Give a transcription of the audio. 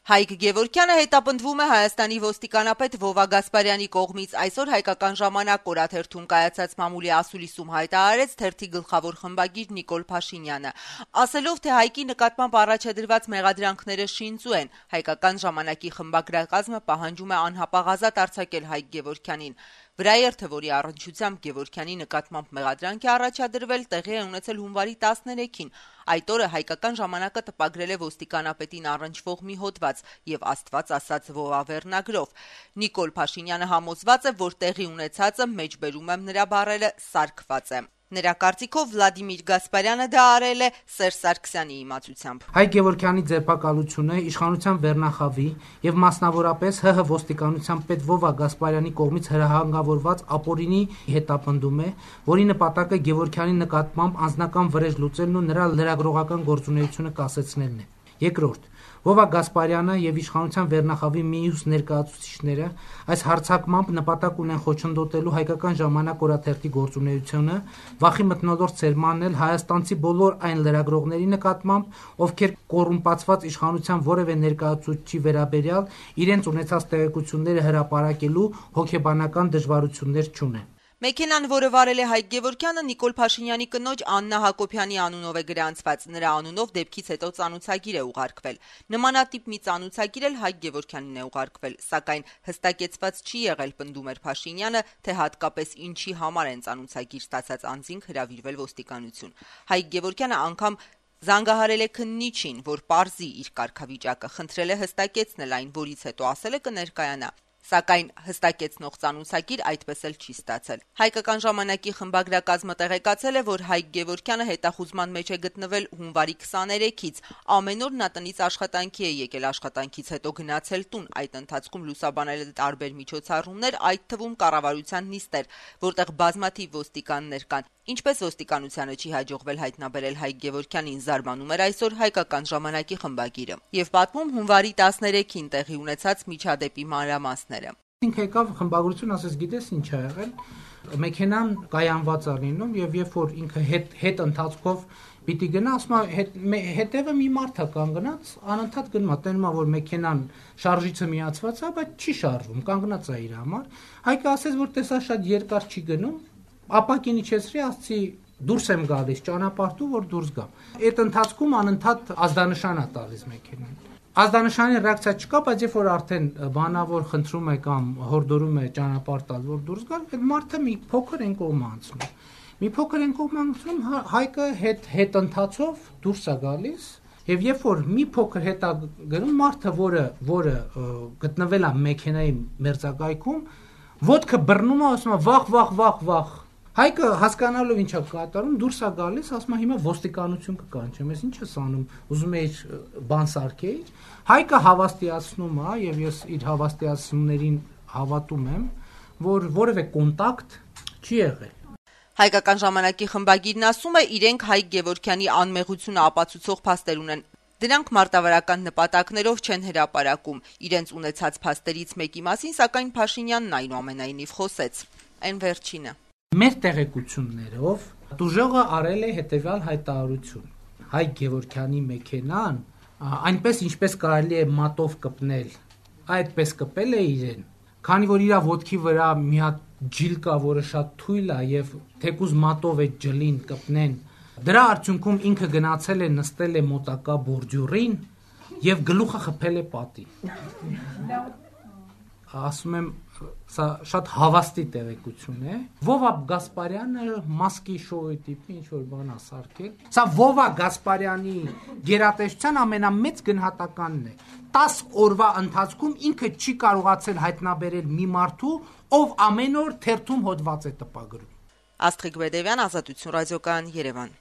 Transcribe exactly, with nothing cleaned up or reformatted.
Հայկ Գևորգյանը հետապնդվում է Հայաստանի ոստիկանապետ Վովա Գասպարյանի կողմից։ Այսօր «Հայկական ժամանակ» օրաթերթում կայացած մամուլի ասուլիսում հայտարարեց թերթի գլխավոր խմբագիր Նիկոլ Փաշինյանը, ասելով, թե Հայկի նկատմամբ առաջադրված մեղադրանքները շինծու են։ «Հայկական ժամանակի» խմբագրակազմը պահանջում է անհապաղ ազատ արձակել Հայկ Գևորգյանին։ Վրաերթը, որի առնչությամբ Գևորգյանի նկատմամբ մեղադրանք է առաջադրվել, տեղի է ունեցել հունվարի տասներեքին։ Այդ օրը «Հայկական ժամանակը» տպագրել է ոստիկանապետին առնչվող մի հոդված եւ Աստված ասած Վովա վերնագրով։ Նիկոլ Փաշինյանը համոզված է, որ տեղի ունեցածը, մեջբերում եմ նրա բառերը, սարքված է։ Նրա կարծիքով Վլադիմիր Գասպարյանը դա արել է Սերժ Սարգսյանի իմացությամբ։ Հայկ Գևորգյանի ձերբակալությունը իշխանության վերնախավի եւ մասնավորապես ՀՀ ոստիկանության պետ Վովա Գասպարյանի կողմից հրահանգավորված ապօրինի հետապնդում է, որի նպատակը Գևորգյանի նկատմամբ անձնական վրեժ լուծելն ու նրա լրագրողական գործունեությունը կասեցնելն է։ Երկրորդ, Վովա Գասպարյանը եւ իշխանության վերնախավի մյուս ներկայացուցիչները այս հարձակմամբ նպատակ ունեն խոչընդոտելու «Հայկական ժամանակ» օրաթերթի գործունեությունը, վախի մթնոլորտ սերմանել հայաստանցի բոլոր այն լրագրողների նկատմամբ, ովքեր կոռումպացված իշխանության որևէ ներկայացուցչի վերաբերյալ իրենց ունեցած տեղեկությունները հրապարակելու հոգեբանական դժվարություններ չունեն։ Մեքենան, որը վարել է Հայկ Գևորգյանը, Նիկոլ Փաշինյանի կնոջ Աննա Հակոբյանի անունով է գրանցված։ Նրա անունով դեպքից հետո ծանուցագիր է ուղարկվել։ Նմանատիպ մի ծանուցագիր էլ Հայկ Գևորգյանին է ուղարկվել, սակայն հստակեցված չի եղել, պնդում էր Փաշինյանը, թե հատկապես ինչի համար են ծանուցագիր ստացած անձինք հրավիրվել ոստիկանություն։ Հայկ Գևորգյանը անգամ զանգահարել է քննիչին, որ պարզի իր կարգավիճակը, խնդրել է հստակեցնել այն, որից հետո ասել է կներկայանա։ Սակայն հստակեցնող ծանուցագիր այդպես էլ չի ստացել։ «Հայկական ժամանակի» խմբագրակազմը տեղեկացել է, որ Հայկ Գևորգյանը հետախուզման մեջ է գտնվել հունվարի քսաներեքից։ Ամեն օր նա տնից աշխատանքի է եկել, աշխատանքից հետո գնացել տուն։ Այդ ընթացքում լուսաբանել է տարբեր միջոցառումներ, այդ թվում կառավարության նիստեր, որտեղ բազմաթիվ ոստիկաններ կան։ Ինչպես ոստիկանությանը չի հաջողվել հայտնաբերել Հայկ Գևորգյանին, զարմանում էր այսօր «Հայկական ժամանակի» խմբագիրը եւ պատմում հունվարի տասներեքին տեղի ունեցած միջադեպի մանրամասները։ Ինքը եկավ խմբագրություն, ասես գիտես ինչ ա եղել, մեքենան կայանված ա լինում եւ երբ որ ինքը հետ հետ ընթացքով պիտի գնա, ասում է հետ, հետևը մի մարդ ա կանգնած, անընդհատ գնում ա, տենում ա որ մեքենան շարժիչը միացված ա, բայց չի շարժվում, կանգնած ա իր համար։ Հայկը ասես որ տեսա շատ երկար չի գնում, ապակին իջեցրի, ասացի դուրս եմ գալիս ճանապարհու, որ դուրս գամ։ Այդ ընթացքում անընդհատ ազդանշան ա տալիս մեքենան։ Ազդանշանի ռեակցիա չկա, բայց երբ որ արդեն բանավոր խնդրում է կամ հորդորում է ճանապարհ տալ, որ դուրս գալ, այդ մարդը մի փոքր են կողմ անցնում։ Մի փոքր են կողմ անցնում, Հայկը հետ հետ ընթացով դուրս է գալիս, եւ երբ որ մի փոքր հետ է գնում, մարդը, որը որը գտնվել է մեքենայի մերձակայքում, ոտքը բռնում է, ասում է վախ, վախ, վախ, վախ։ Հայկը հասկանալով ինչա կատարում, դուրս է գալիս, ասում է հիմա ոստիկանություն կկանչեմ, ես ինչ ես անում, ուզում էի բան սարքեի։ Հայկը հավաստիացնում է եւ ես իր հավաստիացումներին հավատում եմ, որ որևէ կոնտակտ չի եղել։ «Հայկական ժամանակի» խմբագիրն ասում է, իրենք Հայկ Գևորգյանի անմեղությունը ապացուցող փաստեր ունեն։ Դրանք մարտավարական նպատակներով չեն հրապարակում։ Իրենց ունեցած փաստերից մեկի մասին, սակայն Փաշինյանն այնուամենայնիվ խոսեց։ Այն վերջինը։ Մեր տեղեկություններով դուժողը արել է հետևյալ հայտարարություն. Հայկ Գևորգյանի մեքենան այնպես ինչպես կարելի է մատով կպնել, այդպես կպել է իրեն, քանի որ իր ոտքի վրա մի հատ ջիլ կա, որը շատ թույլ է եւ թեկուզ մատով է ջլին կպնեն, դրա արդյունքում ինքը գնացել է նստել է մոտակա բորջուրին եւ գլուխը խփել է պատի։ Ասում եմ, սա շատ հավաստի տեղեկություն է։ Վովա Գասպարյանը մասկի շոուի տիպի ինչ որ բան է սարքել։ Սա Վովա Գասպարյանի գերատեսչության ամենամեծ գնահատականն է։ տասը օրվա ընթացքում ինքը չի կարողացել հայտնաբերել մի մարդու, ով ամեն օր թերթում հոդված է տպագրում։ Աստղիկ Բեդևյան, Ազատություն ռադիոկայան, Երևան։